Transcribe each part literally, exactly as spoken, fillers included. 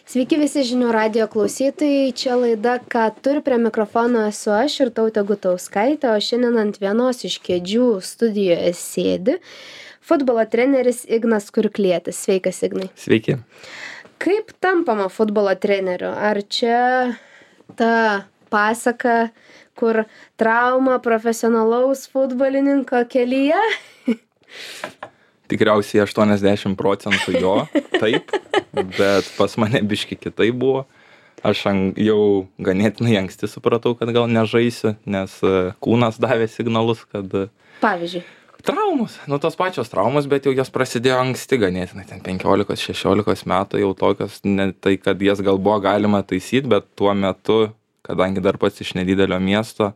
Sveiki visi žinių radijo klausytojai, čia laida Ką turi, prie mikrofono esu aš ir Tautė Gutauskaitė, o šiandien ant vienos iš kėdžių studijoje sėdi futbolo treneris Ignas Kurklietis. Sveikas, Ignai. Sveiki. Kaip tampama futbolo treneriu? Ar čia ta pasaka, kur trauma profesionalaus futbolininko kelyje? Tikriausiai aštuoniasdešimt procentų jo, taip, bet pas mane biški kitaip buvo. Aš jau ganėtinai anksti supratau, kad gal nežaisiu, nes kūnas davė signalus, kad... Pavyzdžiui. Traumos, nu tos pačios traumos, bet jau jos prasidėjo anksti ganėtinai, ten penkiolikos šešiolikos metų jau tokios, ne tai, kad jas gal buvo galima taisyti, bet tuo metu, kadangi dar pats iš nedidelio miesto,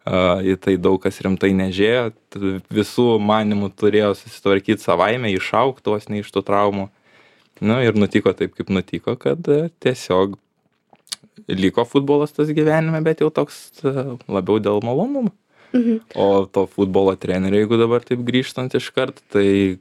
Uh, į tai daug kas rimtai nežėjo, visų manimų turėjo susitvarkyti savaime, išaugti vos ne iš tų traumų. Nu ir nutiko taip, kaip nutiko, kad uh, tiesiog liko futbolas tas gyvenime, bet jau toks uh, labiau dėl malonumo. Mhm. O to futbolo trenerio, jeigu dabar taip grįžtant iškart, tai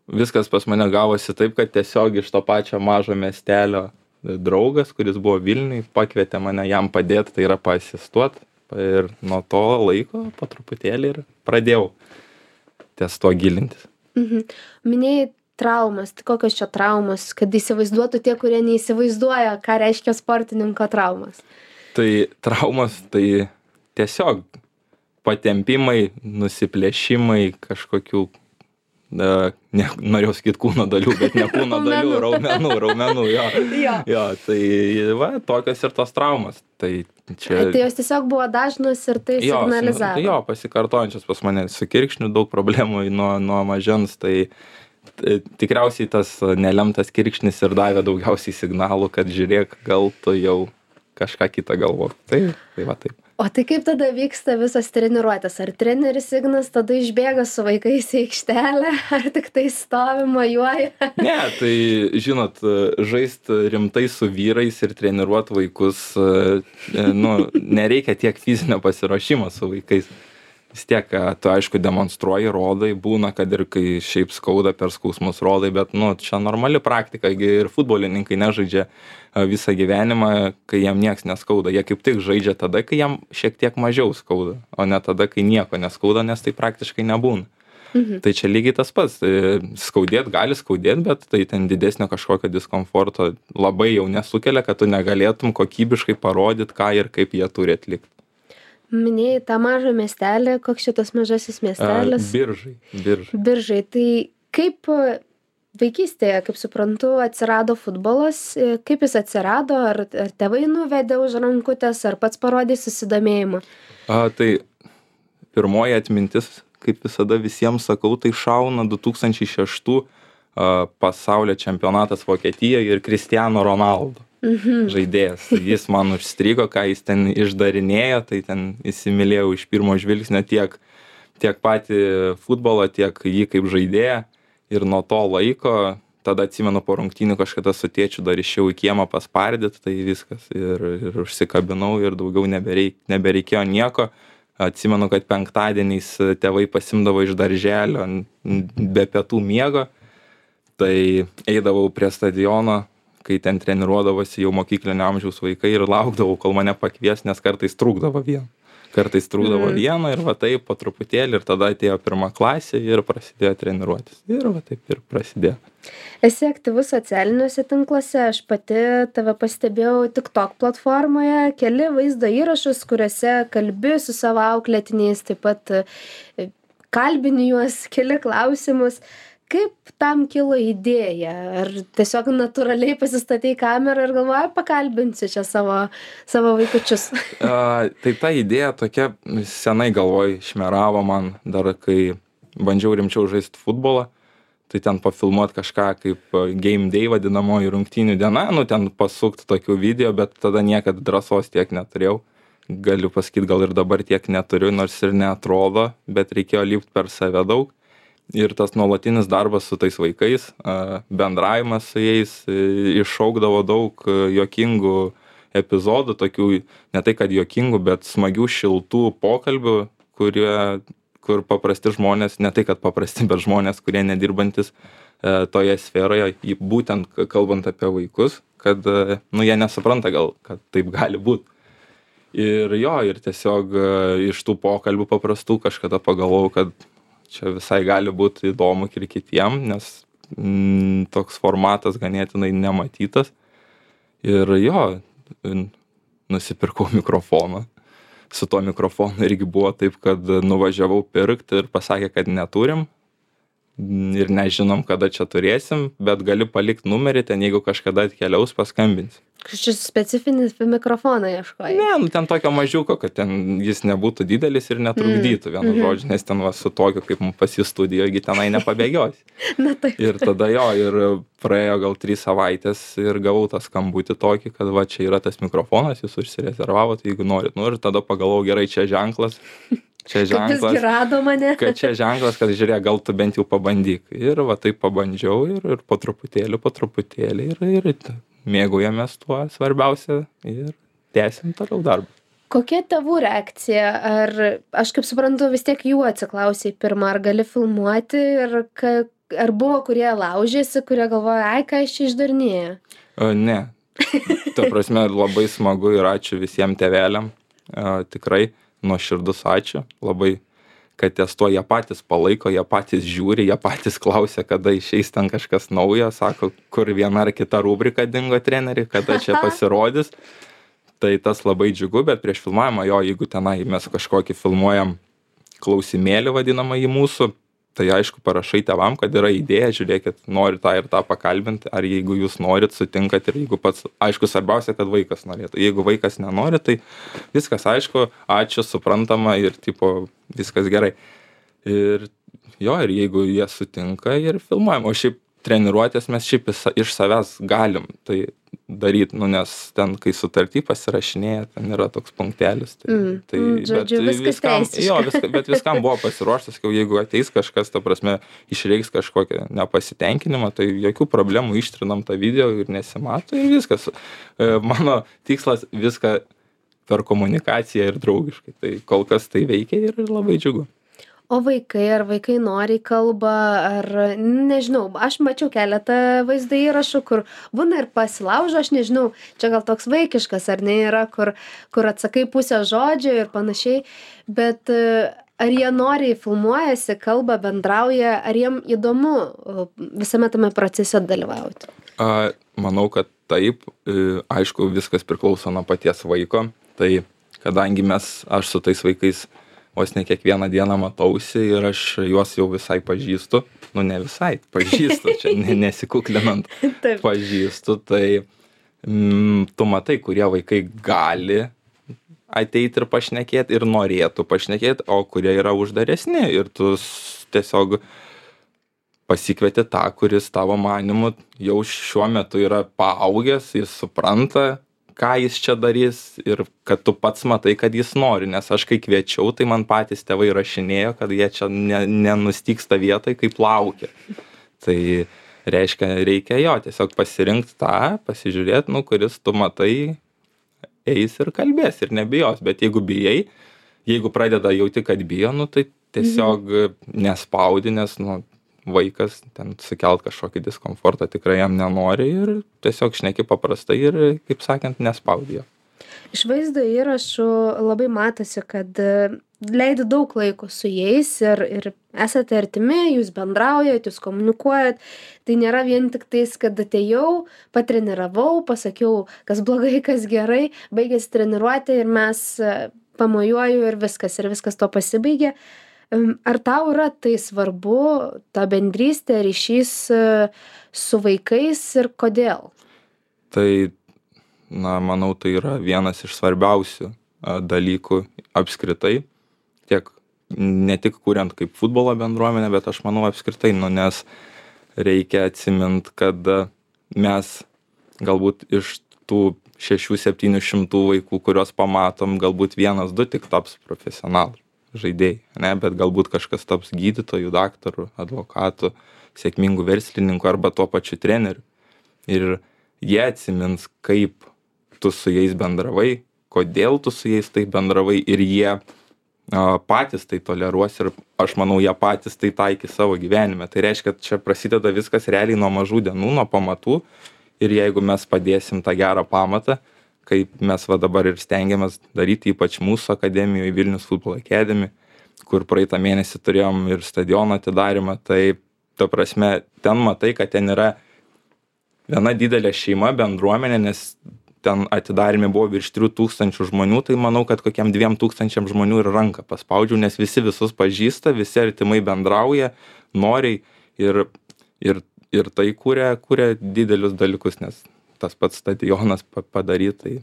viskas pas mane gavosi taip, kad tiesiog iš to pačio mažo miestelio draugas, kuris buvo Vilniuj, pakvietė mane jam padėti, tai yra paasistuoti. Ir nuo to laiko po truputėlį ir pradėjau ties to gilintis. Mhm. Minėjai traumas, tai kokios čia traumos, kad įsivaizduotų tie, kurie neįsivaizduoja, ką reiškia sportininko traumas? Tai traumas, tai tiesiog patempimai, nusiplėšimai kažkokių, ne, ne, norėjau sakyti kūno dalių, bet ne kūno dalių, raumenų, raumenų, jo. jo. jo. Tai va, tokios ir tos traumas. Tai čia... Tai jos tiesiog buvo dažnos ir tai jo, signalizavo. Jo, pasikartojančios pas mane su kirkšniu daug problemų nuo, nuo mažens, tai t- tikriausiai tas nelemtas kirkšnis ir davė daugiausiai signalų, kad žiūrėk, gal tu jau kažką kitą galvo. Tai, tai va taip. O tai kaip tada vyksta visas treniruotės? Ar treneris Ignas tada išbėga su vaikais į aikštelę, ar tik tai stovi, mojuoja? Ne, tai žinot, žaist rimtai su vyrais ir treniruot vaikus, nu, nereikia tiek fizinio pasiruošimo su vaikais. Vis tiek, tu aišku demonstruoji, rodai, būna, kad ir kai šiaip skauda per skausmus rodai, bet, nu, čia normali praktika, ir futbolininkai nežaidžia visą gyvenimą, kai jam nieks neskauda. Jie kaip tik žaidžia tada, kai jam šiek tiek mažiau skauda, o ne tada, kai nieko neskauda, nes tai praktiškai nebūna. Mhm. Tai čia lygiai tas pats. Skaudėt gali skaudėt, bet tai ten didesnio kažkokio diskomforto labai jau nesukelia, kad tu negalėtum kokybiškai parodyti, ką ir kaip jie turi atlikti. Minėjai tą mažą miestelį, koks šitas mažasis miestelis? A, biržai, biržai. Biržai. Tai kaip vaikystėje, kaip suprantu, atsirado futbolas, kaip jis atsirado, ar, ar tėvai nuvedė už rankutės, ar pats parodė susidomėjimą? A, tai pirmoji atmintis, kaip visada visiems sakau, tai šauna du tūkstančiai šeštų a, pasaulio čempionatas Vokietijoje ir Cristiano Ronaldo. Mhm. Žaidėjas. Jis man užstrigo, ką jis ten išdarinėjo, tai ten įsimylėjau iš pirmo žvilgsnio tiek, tiek patį futbolą, tiek jį kaip žaidėją. Ir nuo to laiko, tada atsimenu po rungtynių kažkada su tėčiu dar išėjau į kiemą paspardyt, tai viskas. Ir, ir užsikabinau ir daugiau nebereik, nebereikėjo nieko. Atsimenu, kad penktadieniais tėvai pasimdavo iš darželio be pietų miego. Tai eidavau prie stadiono, kai ten treniruodavosi jau mokyklinio amžiaus vaikai ir laukdavau, kol mane pakvies, nes kartais trūkdavo vieno. Kartais trūkdavo mm. vieno ir va taip po truputėlį ir tada atėjo pirma klasė ir prasidėjo treniruotis. Ir va taip ir prasidėjo. Esi aktyvus socialiniuose tinkluose, aš pati tave pastebėjau TikTok platformoje, keli vaizdo įrašus, kuriuose kalbi su savo auklėtiniais, taip pat kalbini juos, keli klausimus. Kaip tam kilo idėja? Ar tiesiog natūraliai pasistatei kamerą ir galvoji, pakalbinsiu čia savo, savo vaikučius? A, tai ta idėja tokia senai galvoj šmeravo man, dar kai bandžiau rimčiau žaisti futbolą, tai ten pafilmuot kažką kaip game day vadinamoji rungtynių diena, nu ten pasukti tokių video, bet tada niekad drąsos tiek neturėjau. Galiu pasakyti, gal ir dabar tiek neturiu, nors ir neatrodo, bet reikėjo lipti per save daug. Ir tas nuolatinis darbas su tais vaikais, bendravimas su jais iššaukdavo daug juokingų epizodų, tokių ne tai kad juokingų, bet smagių, šiltų pokalbių, kurie, kur paprasti žmonės, ne tai kad paprasti, bet žmonės, kurie nedirbantis toje sferoje, būtent kalbant apie vaikus, kad, nu, jie nesupranta gal, kad taip gali būt. Ir jo, ir tiesiog iš tų pokalbių paprastų kažkada pagalvojau, kad čia visai gali būti įdomu ir kitiem, nes mm, toks formatas ganėtinai nematytas. Ir jo, nusipirkau mikrofoną. Su tuo mikrofonu irgi buvo taip, kad nuvažiavau pirkti ir pasakė, kad neturim ir nežinom, kada čia turėsim, bet gali palikti numerį, ten jeigu kažkada atkeliaus, paskambinsi. Šis specifinis mikrofoną ieškojai? Ne, nu ten tokio mažiuko, kad ten jis nebūtų didelis ir netrukdytų, mm. vienu mm-hmm. žodžiu, nes ten va, su tokiu, kaip pas jį studijoje, tenai nepabėgiosi. Na taip. Ir tada jo, ir praėjo gal trys savaitės ir gavau tą skambutį tokį, kad va, čia yra tas mikrofonas, jūs užsirezervavot, jeigu norit. Nu ir tada pagalvojau, gerai, čia ženklas. Čia ženklas, kad rado mane. kad čia ženklas, kad žiūrėk, gal tu bent jau pabandyk. Ir va taip pabandžiau ir, ir po truputėlį, po truputėlį ir, ir mėgaujamės tuo svarbiausia ir tęsim toliau darbą. Kokia tėvų reakcija? Ar, aš kaip suprantu, vis tiek jų atsiklausai pirmą, ar gali filmuoti ir ka, ar buvo, kurie laužėsi, kurie galvoja, ai, ką aš čia išdarinėju? O, ne. Ta prasme, labai smagu ir ačiū visiems tėveliam. O, tikrai. Nuoširdus ačiū, labai, kad ties to jie patys palaiko, jie patys žiūri, jie patys klausia, kada išeis ten kažkas naujo, sako, kur viena ar kita rubrika dingo treneri, kada čia pasirodys. Tai tas labai džiugu, bet prieš filmavimą jo, jeigu tenai mes kažkokį filmuojam klausimėlį vadinamą į mūsų, tai aišku parašai tėvam, kad yra idėja, žiūrėkit, nori tą ir tą pakalbinti, ar jeigu jūs norit, sutinkat ir jeigu pats, aišku, svarbiausia, kad vaikas norėtų. Jeigu vaikas nenori, tai viskas aišku, ačiū, suprantama ir tipo viskas gerai. Ir jo, ir jeigu jie sutinka ir filmuojam, o šiaip treniruotės mes šiaip iš savęs galim tai daryt, nu nes ten, kai sutartį pasirašinėja, ten yra toks punktelis. Tai, mm, tai, mm, žodžiu, bet viskam, jo, viska, bet viskam buvo pasiruoštas, kad jeigu ateis kažkas, ta prasme, išreiks kažkokią nepasitenkinimą, tai jokių problemų, ištrinam tą video ir nesimato ir viskas. Mano tikslas viską per komunikaciją ir draugiškai, tai kol kas tai veikia ir labai džiugu. O vaikai, ar vaikai noriai kalba, ar, nežinau, aš mačiau keletą vaizdo įrašų, kur būna ir pasilaužo, aš nežinau, čia gal toks vaikiškas, ar ne yra, kur, kur atsakai pusę žodžio ir panašiai, bet ar jie noriai filmuojasi, kalba, bendrauja, ar jiem įdomu visame tame procese dalyvauti? A, manau, kad taip, aišku, viskas priklauso nuo paties vaiko, tai kadangi mes, aš su tais vaikais vos ne kiekvieną dieną matausi ir aš juos jau visai pažįstu, nu ne visai, pažįstu, čia nesikuklinant, pažįstu, tai mm, tu matai, kurie vaikai gali ateiti ir pašnekėti ir norėtų pašnekėti, o kurie yra uždaresni ir tu tiesiog pasikvieti tą, kuris tavo manimu jau šiuo metu yra paaugęs, jis supranta, ką jis čia darys ir kad tu pats matai, kad jis nori, nes aš kai kviečiau, tai man patys tėvai rašinėjo, kad jie čia ne, nenustyksta vietoj, kaip laukia. Tai reiškia, reikia jo tiesiog pasirinkti tą, pasižiūrėti, nu, kuris tu matai, eis ir kalbės ir nebijos, bet jeigu bijai, jeigu pradeda jauti, kad bijo, nu, tai tiesiog mhm. nespaudi, nes, nu, vaikas ten sukelt kažkokį diskomfortą tikrai jam nenori ir tiesiog šneki paprastai ir, kaip sakant, nespaudi jo. Iš vaizdo įrašų labai matosi, kad leidi daug laiko su jais ir, ir esate artimi, jūs bendraujat, jūs komunikuojat. Tai nėra vien tik tais, kad atėjau, patreniravau, pasakiau, kas blogai, kas gerai, baigėsi treniruotė ir mes pamojuoju ir viskas, ir viskas to pasibaigė. Ar tau yra tai svarbu, ta bendrystė, ryšys su vaikais ir kodėl? Tai, na, manau, tai yra vienas iš svarbiausių dalykų apskritai, tiek ne tik kuriant kaip futbolo bendruomenę, bet aš manau apskritai, nu, nes reikia atsimint, kad mes galbūt iš tų šešių septynių šimtų vaikų, kuriuos pamatom, galbūt vienas, du tik taps profesionalai žaidėjai, ne, bet galbūt kažkas taps gydytojų, daktarų, advokatų, sėkmingų verslininkų arba tuo pačiu treneriu. Ir jie atsimins, kaip tu su jais bendravai, kodėl tu su jais taip bendravai ir jie a, patys tai toleruos ir aš manau, jie patys tai taikys savo gyvenime. Tai reiškia, kad čia prasideda viskas realiai nuo mažų dienų, nuo pamatų ir jeigu mes padėsim tą gerą pamatą, kaip mes va dabar ir stengiamės daryti, ypač mūsų akademijoje Vilnius Football Academy, kur praeitą mėnesį turėjom ir stadiono atidarimą, tai ta prasme, ten matai, kad ten yra viena didelė šeima, bendruomenė, nes ten atidarime buvo virš trijų tūkstančių žmonių, tai manau, kad kokiam dviem tūkstančiam žmonių ir ranką paspaudžiau, nes visi visus pažįsta, visi artimai bendrauja, noriai ir, ir, ir tai kūrė, kūrė didelius dalykus, nes tas pats stadionas padaryti, tai,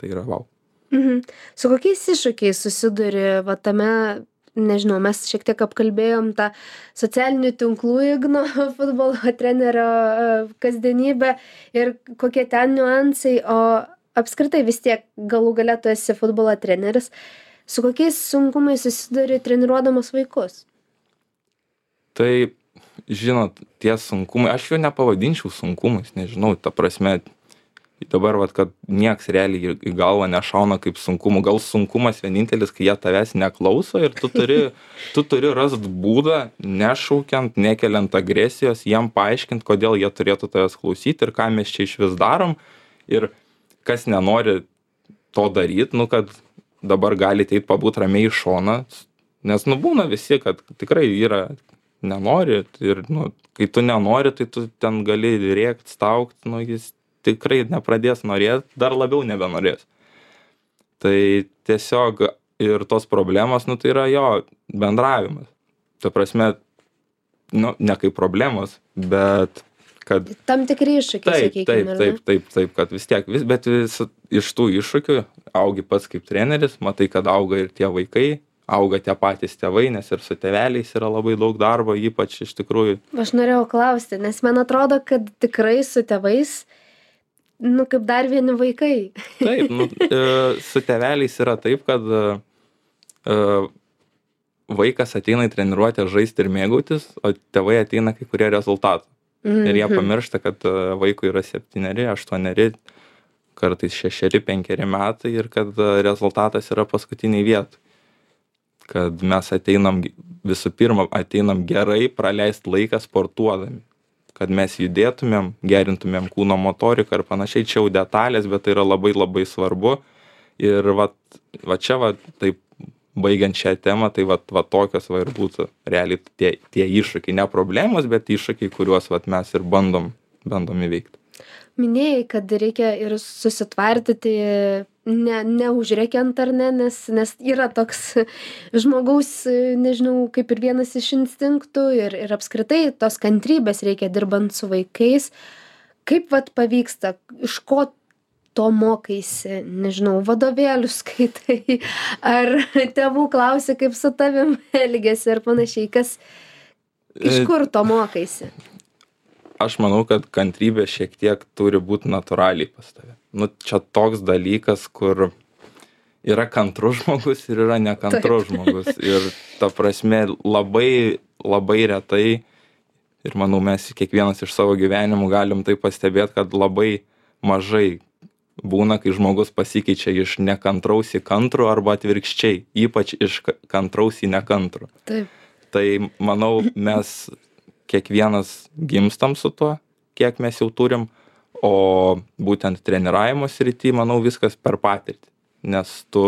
tai yra vau. Mhm. Su kokiais iššūkiais susiduri va tame, nežinau, mes šiek tiek apkalbėjom tą socialinių tinklų Igno futbolo trenerio kasdienybę ir kokie ten niuansai, o apskritai vis tiek galų gale tu esi futbolo treneris. Su kokiais sunkumais susiduri treniruodamas vaikus? Tai, žinot, tie sunkumai, aš jų nepavadinčiau sunkumais, nežinau, ta prasme, dabar, vat, kad nieks realiai į galvą nešauna kaip sunkumų. Gal sunkumas vienintelis, kai jie tavęs neklauso ir tu turi, tu turi rast būdą, nešaukiant, nekeliant agresijos, jiem paaiškint, kodėl jie turėtų tavęs klausyti ir ką mes čia iš vis darom. Ir kas nenori to daryti, nu, kad dabar gali eit pabūt ramiai į šoną, nes, nu, būna visi, kad tikrai yra nenori ir, nu, kai tu nenori, tai tu ten gali rėkt, staugt, nu, jis tikrai nepradės norėt, dar labiau nebenorės. Tai tiesiog ir tos problemos, nu, tai yra jo bendravimas. Ta prasme, nu, ne kaip problemos, bet kad... Tam tikri iššūkiai, taip, sakykime, taip, taip, taip, taip, kad vis tiek, vis, bet vis, iš tų iššūkių augi pats kaip treneris, matai, kad auga ir tie vaikai, auga tie patys tėvai, nes ir su tėveliais yra labai daug darbo, ypač iš tikrųjų. Aš norėjau klausti, nes man atrodo, kad tikrai su tėvais, nu, kaip dar vieni vaikai. Taip, nu, su tėveliais yra taip, kad vaikas ateina į treniruotę žaisti ir mėgautis, o tėvai ateina kai kurie rezultatų. Mm-hmm. Ir jie pamiršta, kad vaikui yra septyneri, aštuoneri, kartais šešeri, penkeri metai ir kad rezultatas yra paskutiniai vietai. Kad mes ateinam, visų pirma, ateinam gerai praleisti laiką sportuodami. Kad mes judėtumėm, gerintumėm kūno motoriką ir panašiai, čia jau detalės, bet tai yra labai labai svarbu. Ir va, va čia, va, taip, baigiant šią temą, tai va, va tokios va ir būtų realiai tie, tie iššūkiai, ne problemos, bet iššūkiai, kuriuos va, mes ir bandom, bandom įveikti. Minėjai, kad reikia ir susitvardyti, ne, neužrėkiant ar ne, nes, nes yra toks žmogaus, nežinau, kaip ir vienas iš instinktų ir, ir apskritai tos kantrybės reikia dirbant su vaikais. Kaip vat pavyksta, iš ko to mokaisi, nežinau, vadovėlius skaitai, ar tėvų klausi, kaip su tavim elgiasi ir panašiai, kas, iš kur to mokaisi? Aš manau, kad kantrybė šiek tiek turi būti natūraliai pas tave. Nu, čia toks dalykas, kur yra kantrus žmogus ir yra nekantrus žmogus. Ir ta prasme labai, labai retai, ir manau, mes kiekvienas iš savo gyvenimų galim tai pastebėti, kad labai mažai būna, kai žmogus pasikeičia iš nekantraus į kantrų arba atvirkščiai, ypač iš kantraus į nekantrų. Taip. Tai manau, mes kiekvienas gimstam su tuo, kiek mes jau turim, o būtent treniravimo srity, manau, viskas per patirtį, nes tu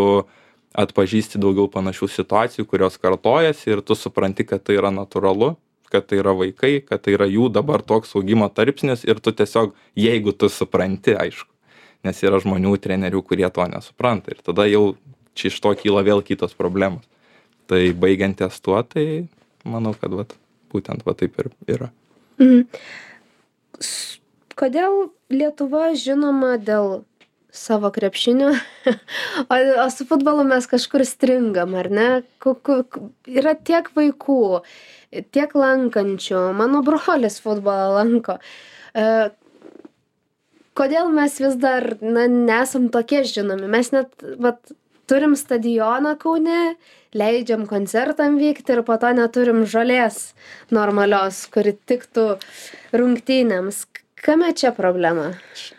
atpažįsti daugiau panašių situacijų, kurios kartojasi ir tu supranti, kad tai yra natūralu, kad tai yra vaikai, kad tai yra jų dabar toks augimo tarpsnis ir tu tiesiog, jeigu tu supranti, aišku, nes yra žmonių trenerių, kurie to nesupranta ir tada jau čia iš to kyla vėl kitos problemos. Tai baigiant ties tuo, tai manau, kad vat, būtent va taip ir yra. Mhm. Kodėl Lietuva žinoma dėl savo krepšinio, o, o su futbolu mes kažkur stringam, ar ne? Kuku, yra tiek vaikų, tiek lankančių, mano brolis futbolą lanko. E, kodėl mes vis dar na, nesam tokie žinomi? Mes net vat, turim stadioną Kaune, leidžiam koncertam vykti ir po to neturim žolės normalios, kuri tiktų rungtynėms. Kame čia problema?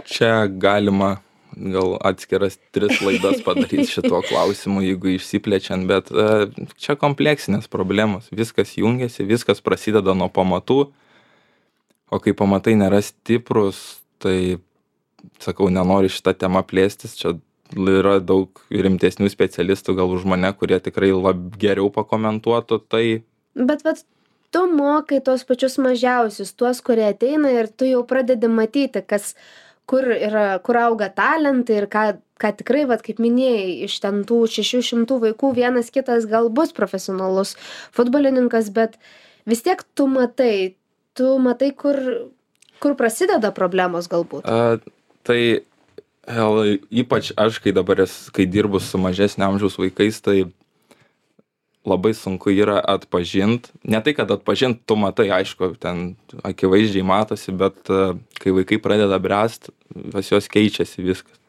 Čia galima gal atskiras tris laidas padaryti šituo klausimu, jeigu išsiplečiant, bet uh, čia kompleksinės problemos. Viskas jungiasi, viskas prasideda nuo pamatų, o kai pamatai nėra stiprus, tai sakau, nenoriu šitą temą plėstis, čia yra daug rimtesnių specialistų gal už mane, kurie tikrai lab geriau pakomentuotų tai. Bet vat tu mokai tuos pačius mažiausius, tuos, kurie ateina ir tu jau pradedi matyti, kas, kur yra, kur auga talentai ir ką, ką tikrai, vat, kaip minėjai, iš ten tų šešių šimtų vaikų vienas kitas gal bus profesionalus futbolininkas, bet vis tiek tu matai, tu matai, kur, kur prasideda problemos galbūt. A, tai Hel, ypač aš, kai dabar esu, kai dirbu su mažesnio amžiaus vaikais, tai labai sunku yra atpažint. Ne tai, kad atpažint, tu matai, aišku, ten akivaizdžiai matosi, bet kai vaikai pradeda bręst, pas juos keičiasi viskas.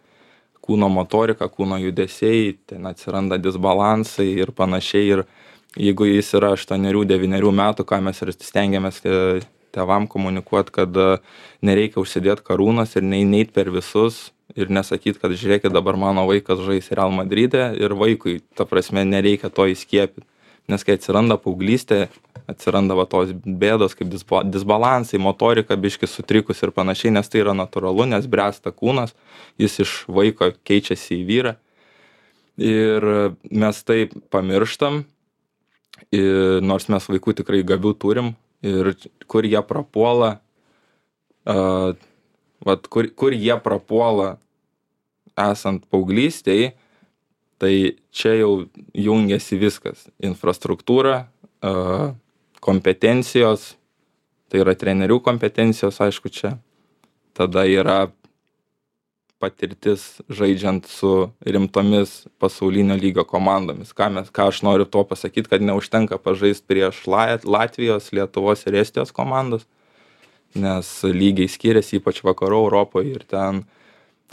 Kūno motorika, kūno judesiai, ten atsiranda disbalansai ir panašiai. Ir jeigu jis yra aštuonerių devynerių metų, ką mes ir stengiamės tėvam komunikuoti, kad nereikia užsidėti karūnos ir neit per visus. Ir nesakyt, kad žiūrėkit, dabar mano vaikas žais Real Madride ir vaikui, ta prasme, nereikia to įskiepyti. Nes kai atsiranda paauglystė, atsiranda va tos bėdos kaip disbalansai, motorika biški sutrikus ir panašiai, nes tai yra natūralu, nes bręsta kūnas, jis iš vaiko keičiasi į vyrą. Ir mes tai pamirštam, ir nors mes vaikų tikrai gabių turim, ir kur jie prapuola, uh, vat, kur, kur jie prapuola esant paauglystėj, tai čia jau jungiasi viskas. Infrastruktūra, kompetencijos, tai yra trenerių kompetencijos, aišku, čia. Tada yra patirtis žaidžiant su rimtomis pasaulinio lygio komandomis. Ką, mes, ką aš noriu to pasakyti, kad neužtenka pažaisti prieš Latvijos, Lietuvos ir Estijos komandos, nes lygiai skiriasi, ypač vakarų Europoje, ir ten,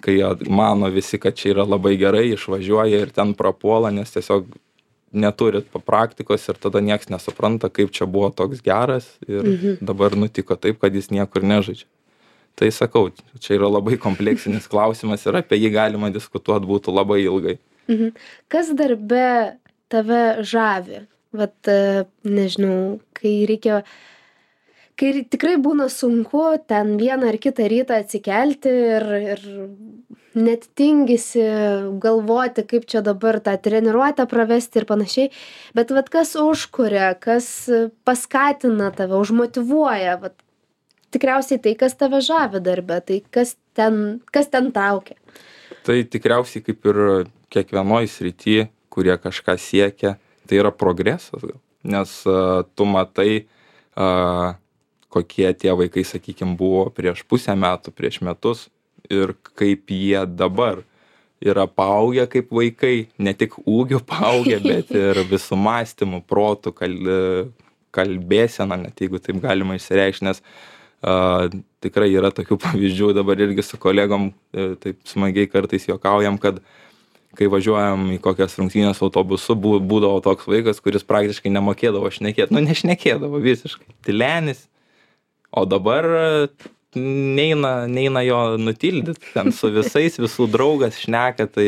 kai mano visi, kad čia yra labai gerai, išvažiuoja ir ten prapuola, nes tiesiog neturit praktikos ir tada nieks nesupranta, kaip čia buvo toks geras ir mhm. dabar nutiko taip, kad jis niekur nežaidžia. Tai sakau, čia yra labai kompleksinis klausimas ir apie jį galima diskutuoti būtų labai ilgai. Mhm. Kas darbe tave žavi? Vat, nežinau, kai reikia kai tikrai būna sunku ten vieną ar kitą rytą atsikelti ir, ir net tingisi galvoti, kaip čia dabar tą treniruotę pravesti ir panašiai. Bet vat, kas užkuria, kas paskatina tave, užmotyvuoja, vat, tikriausiai tai, kas tave žavi darbe, tai kas ten, kas ten traukia. Tai tikriausiai kaip ir kiekvienoj srity, kurie kažką siekia, tai yra progresas, nes uh, tu matai, uh, kokie tie vaikai, sakykim, buvo prieš pusę metų, prieš metus ir kaip jie dabar yra paaugę kaip vaikai, ne tik ūgiu paaugę, bet ir visų mąstymų, protų, kal, kalbėsena, net jeigu taip galima išsireikšti, nes uh, tikrai yra tokių pavyzdžių, dabar irgi su kolegom uh, taip smagiai kartais juokaujam, kad kai važiuojam į kokias rungtynes autobusu, būdavo toks vaikas, kuris praktiškai nemokėdavo šnekėti, nu nešnekėdavo visiškai, tylenis. O dabar neina, neina jo nutildyti, ten su visais, visų draugas šneka, tai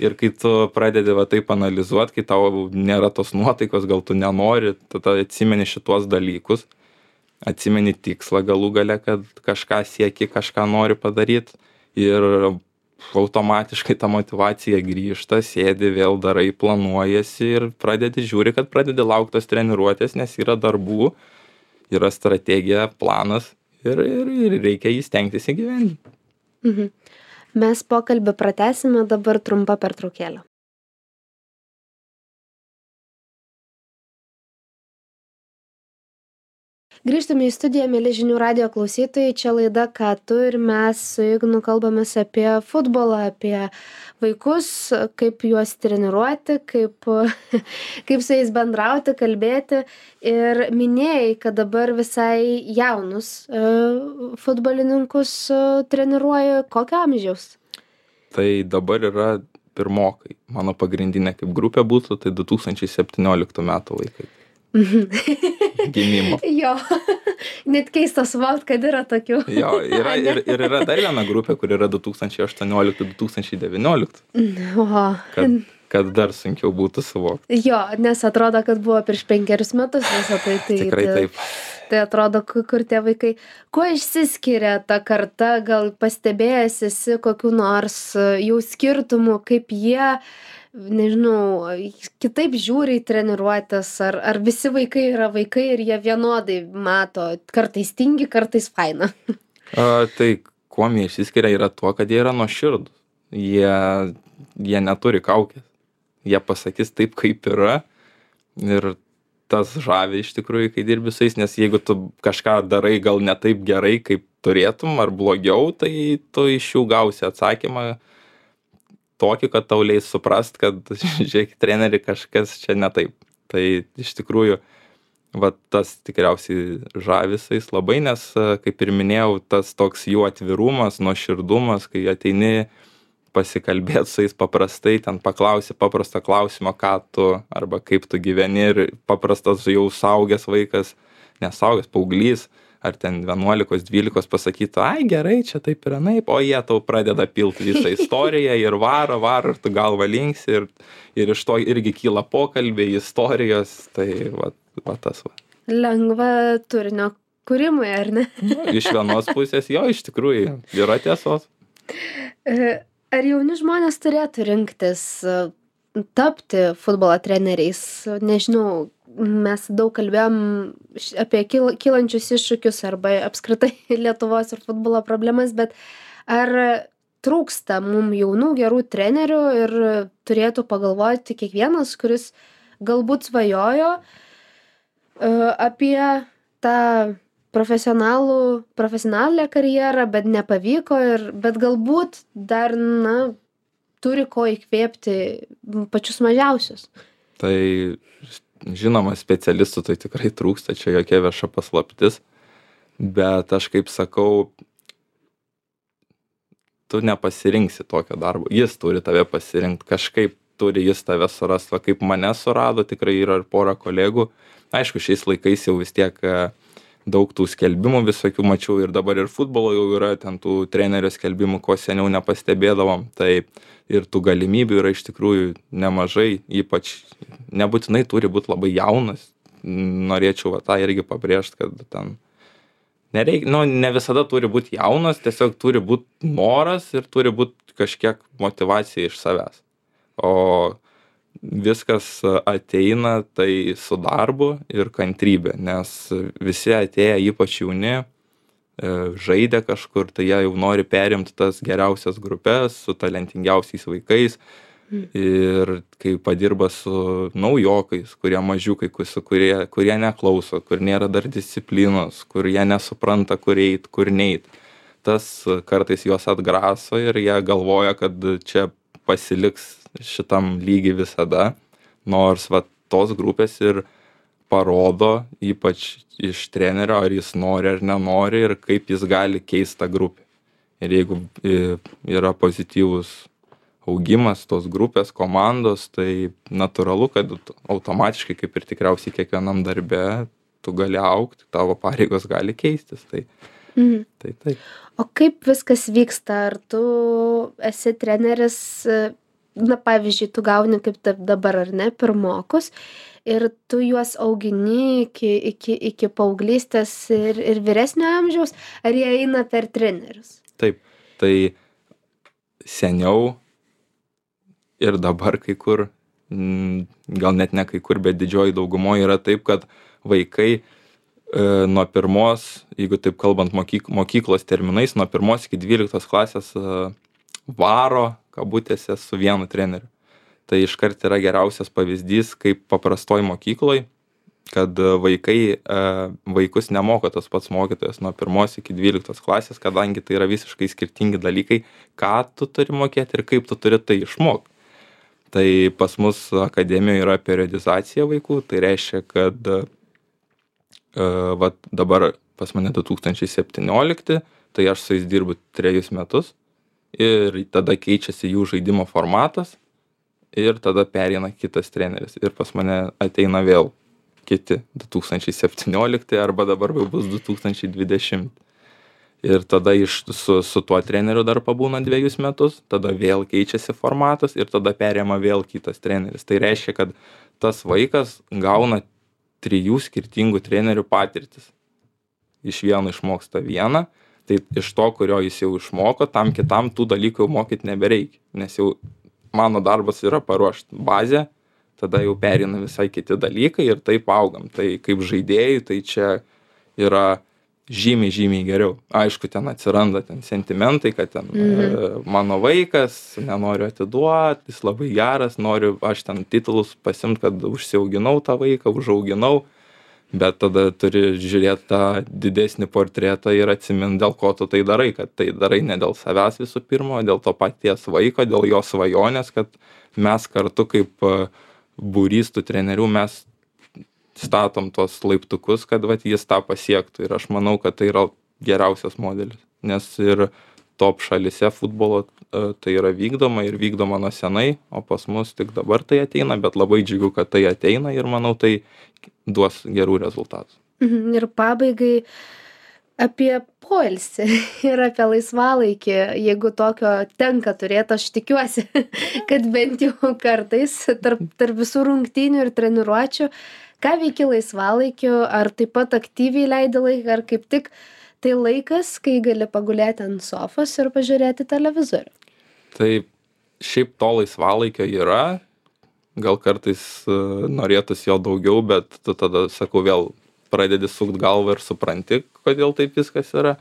ir kai tu pradedi va taip analizuoti, kai tau nėra tos nuotaikos, gal tu nenori, tada atsimeni šitos dalykus, atsimeni tikslą galų gale, kad kažką sieki, kažką nori padaryti ir automatiškai ta motyvacija grįžta, sėdi, vėl darai, planuojasi ir pradedi, žiūri, kad pradedi laukti tos treniruotės, nes yra darbų, yra strategija, planas ir, ir, ir reikia jį stengtis įgyvendinti. Mhm. Mes pokalbį pratęsime, dabar trumpa pertraukėlė. Grįžtame į studiją, mėly žinių radijo klausytojai, čia laida Ką tu ir mes su Ignu kalbamės apie futbolą, apie vaikus, kaip juos treniruoti, kaip, kaip su jais bendrauti, kalbėti ir minėjai, kad dabar visai jaunus uh, futbolininkus uh, treniruoju, kokio amžiaus? Tai dabar yra pirmokai, mano pagrindinė kaip grupė būtų, tai du tūkstančiai septynioliktų metų vaikai. Gimimo. Jo, net keista suvokti, kad yra tokių. Jo, yra, ir, ir yra dar viena grupė, kur yra du tūkstančiai aštuonioliktų du tūkstančiai devynioliktų. O. Kad, kad dar sunkiau būtų suvokti. Jo, nes atrodo, kad buvo prieš penkerius metus visą tai. tai Tikrai tai... taip. Tai atrodo, ku- kur tie vaikai. Kuo išsiskiria ta karta, gal pastebėjęs esi kokiu nors e, jų skirtumų, kaip jie, nežinau, kitaip žiūri į treniruotės, ar, ar visi vaikai yra vaikai ir jie vienodai mato, kartais tingi, kartais faina. A, tai kuom jie išsiskiria yra tuo, kad jie yra nuoširdūs. Jie, jie neturi kaukės. Jie pasakys taip, kaip yra. Ir tas žavi iš tikrųjų, kai dirbi su jais, nes jeigu tu kažką darai gal ne taip gerai, kaip turėtum, ar blogiau, tai tu iš jų gausi atsakymą tokį, kad tau leis suprast, kad, žiūrėk, treneri, kažkas čia ne taip. Tai iš tikrųjų, va tas tikriausiai žavi su jais labai, nes, kaip ir minėjau, tas toks jų atvirumas, nuoširdumas, kai ateini pasikalbėt su jais paprastai, ten paklausi paprastą klausimą, ką tu arba kaip tu gyveni, ir paprastas jau suaugęs vaikas, nesuaugęs, paauglys, ar ten vienuolikos, dvylikos pasakytų, ai gerai, čia taip ir anaip, o jie tau pradeda pilt visą istoriją ir varo, varo, ir tu galva linksi, ir, ir iš to irgi kyla pokalbiai, istorijos, tai va, va tas va. Lengva turinio kūrimui, ar ne? Nu, iš vienos pusės jo, iš tikrųjų, yra tiesos. E, Ar jauni žmonės turėtų rinktis e, tapti futbolo treneriais? Nežinau, mes daug kalbėjom š- apie kyl- kylančius iššūkius arba apskritai Lietuvos ir futbolo problemas, bet ar trūksta mum jaunų gerų trenerių ir turėtų pagalvoti kiekvienas, kuris galbūt svajojo e, apie tą profesionalų, profesionalią karjerą, bet nepavyko, ir, bet galbūt dar, na, turi ko įkvėpti pačius mažiausius. Tai žinoma, specialistų tai tikrai trūksta, čia jokia vieša paslaptis, bet aš kaip sakau, tu nepasirinksi tokio darbo, jis turi tave pasirinkti, kažkaip turi jis tave surasti, va kaip mane surado, tikrai yra ir pora kolegų, aišku, šiais laikais jau vis tiek e, daug tų skelbimų visokių mačiau, ir dabar ir futbolo jau yra ten tų trenerio skelbimų, ko seniau nepastebėdavom, tai ir tų galimybių yra iš tikrųjų nemažai, ypač nebūtinai turi būti labai jaunas, norėčiau va tą irgi pabrėžti, kad ten nereik, nu, ne visada turi būti jaunas, tiesiog turi būti noras ir turi būti kažkiek motyvacija iš savęs. O viskas ateina tai su darbu ir kantrybė, nes visi atėję, ypač jauni, e, žaidė kažkur, tai jie jau nori perimti tas geriausias grupes su talentingiausiais vaikais. Ir kai padirba su naujokais, kurie mažiukai, ku- su kurie, kurie neklauso, kur nėra dar disciplinos, kur jie nesupranta, kur eit, kur neit, tas kartais juos atgraso ir jie galvoja, kad čia pasiliks šitam lygiai visada, nors va tos grupės ir parodo, ypač iš trenerio, ar jis nori ar nenori ir kaip jis gali keisti tą grupę. Ir jeigu e, yra pozityvus augimas tos grupės, komandos, tai natūralu, kad automatiškai, kaip ir tikriausiai kiekvienam darbe, tu gali augti, tavo pareigos gali keistis. Tai, Mhm. tai taip. O kaip viskas vyksta? Ar tu esi treneris, e, na, pavyzdžiui, tu gauni kaip taip dabar, ar ne, pirmokus, ir tu juos augini iki, iki, iki paauglystės ir, ir vyresnio amžiaus, ar jie eina per trenerius? Taip, tai seniau ir dabar kai kur, mm, gal net ne kai kur, bet didžioji daugumoje yra taip, kad vaikai e, nuo pirmos, jeigu taip kalbant mokyk, mokyklos terminais, nuo pirmos iki dvyliktos klasės e, varo, kabutėse, su vienu treneriu. Tai iškart yra geriausias pavyzdys, kaip paprastoj mokykloj, kad e, vaikai, e, vaikus nemoko tas pats mokytojas nuo pirmos iki dvyliktos klasės, kadangi tai yra visiškai skirtingi dalykai, ką tu turi mokėti ir kaip tu turi tai išmokti. Tai pas mus akademijoje yra periodizacija vaikų, tai reiškia, kad e, vat dabar pas mane du tūkstančiai septyniolikti, tai aš su jais dirbu trejus metus ir tada keičiasi jų žaidimo formatas ir tada pereina kitas treneris ir pas mane ateina vėl kiti du tūkstančiai septyniolikti arba dabar jau bus du tūkstančiai dvidešimti. Ir tada iš, su, su tuo treneriu dar pabūna dviejus metus, tada vėl keičiasi formatas ir tada perima vėl kitas treneris. Tai reiškia, kad tas vaikas gauna trijų skirtingų trenerių patirtis. iš vieno išmoksta vieną, tai iš to, kurio jis jau išmoko, tam kitam tų dalykų jau mokyt nebereikia, nes jau mano darbas yra paruošt bazę, tada jau pereina visai kiti dalykai ir taip augam. Tai kaip žaidėjai, tai čia yra žymiai, žymiai geriau. Aišku, ten atsiranda ten sentimentai, kad ten Mhm. e, mano vaikas, nenoriu atiduot, jis labai geras, noriu aš ten titulus pasiimt, kad užsiauginau tą vaiką, užauginau, bet tada turi žiūrėt tą didesnį portretą ir atsimint, dėl ko tu tai darai, kad tai darai ne dėl savęs visų pirma, o dėl to paties vaiko, dėl jo svajonės, kad mes kartu kaip e, būrys tų trenerių, mes statom tuos laiptukus, kad vat jis tą pasiektų. Ir aš manau, kad tai yra geriausias modelis. Nes ir top šalyse futbolo e, tai yra vykdoma ir vykdoma nuo senai, o pas mus tik dabar tai ateina, bet labai džiugu, kad tai ateina ir manau, tai duos gerų rezultatų. Mhm. Ir pabaigai apie poilsį ir apie laisvalaikį, jeigu tokio tenka turėti, aš tikiuosi, kad bent jau kartais tarp, tarp visų rungtynių ir treniruočių, ką veiki laisvalaikiu, ar taip pat aktyviai leidi laiką, ar kaip tik tai laikas, kai gali pagulėti ant sofos ir pažiūrėti televizorių. Tai šiaip to laisvalaikio yra, gal kartais e, norėtųsi jo daugiau, bet tu tada, sakau, vėl pradedi sukt galvą ir supranti, kodėl taip viskas yra.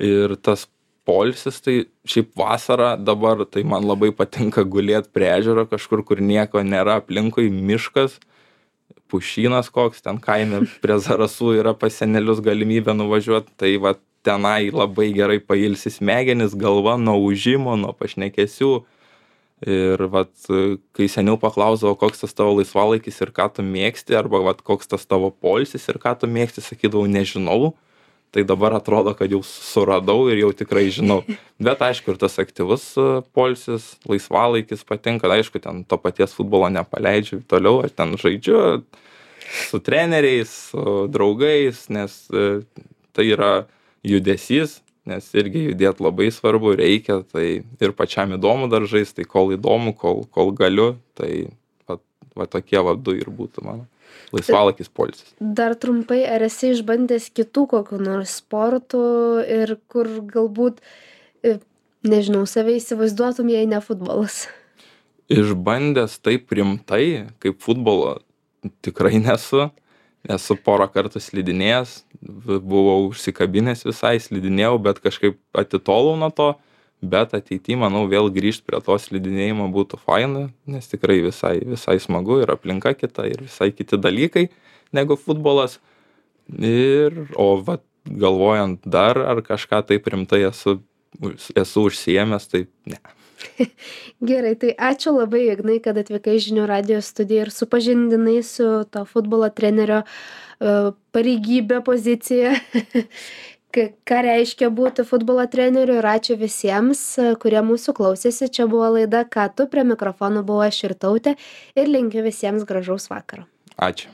Ir tas poilsis, tai šiaip vasarą dabar, tai man labai patinka gulėt prie ežero kažkur, kur nieko nėra aplinkui, miškas, pušynas koks, ten kaime prie Zarasų yra pas senelius galimybė nuvažiuot, tai va tenai labai gerai pailsi smegenis, galva nuo ūžimo, nuo pašnekesių. Ir vat, kai seniau paklausdavo, koks tas tavo laisvalaikis ir ką tu mėgsti, arba vat, koks tas tavo poilsis ir ką tu mėgsti, sakydavau, nežinau. Tai dabar atrodo, kad jau suradau ir jau tikrai žinau. Bet aišku, ir tas aktyvus e, poilsis, laisvalaikis patinka. Aišku, ten to paties futbolo nepaleidžiu toliau, aš ten žaidžiu su treneriais, su draugais, nes e, tai yra judesys, nes irgi judėt labai svarbu, reikia, tai ir pačiam įdomu dar žaist, tai kol įdomu, kol, kol galiu, tai va, va tokie va du ir būtų mano laisvalaikis poilsis. Dar trumpai, ar esi išbandęs kitų kokių nors sportų ir kur galbūt, e, nežinau, save įsivaizduotum, jei ne futbolas? Išbandęs taip rimtai, kaip futbolo, tikrai nesu. Esu porą kartų slidinėjęs, v- buvau užsikabinęs visai, slidinėjau, bet kažkaip atitolau nuo to. Bet ateity, manau, vėl grįžt prie to slidinėjimo būtų faina, nes tikrai visai, visai smagu ir aplinka kita ir visai kiti dalykai negu futbolas. Ir, o vat, galvojant dar, ar kažką taip rimtai esu, esu užsiėmęs, tai ne. Gerai, tai ačiū labai, Ignai, kad atvykai į Žinių radijo studiją ir supažindinai su to futbolo trenerio e, pareigybė, pozicija, K- ką reiškia būti futbolo treneriu. Ir ačiū visiems, e, kurie mūsų klausėsi. Čia buvo laida Ką tu, prie mikrofono buvo aš Irtautė ir linkiu visiems gražaus vakaro. Ačiū.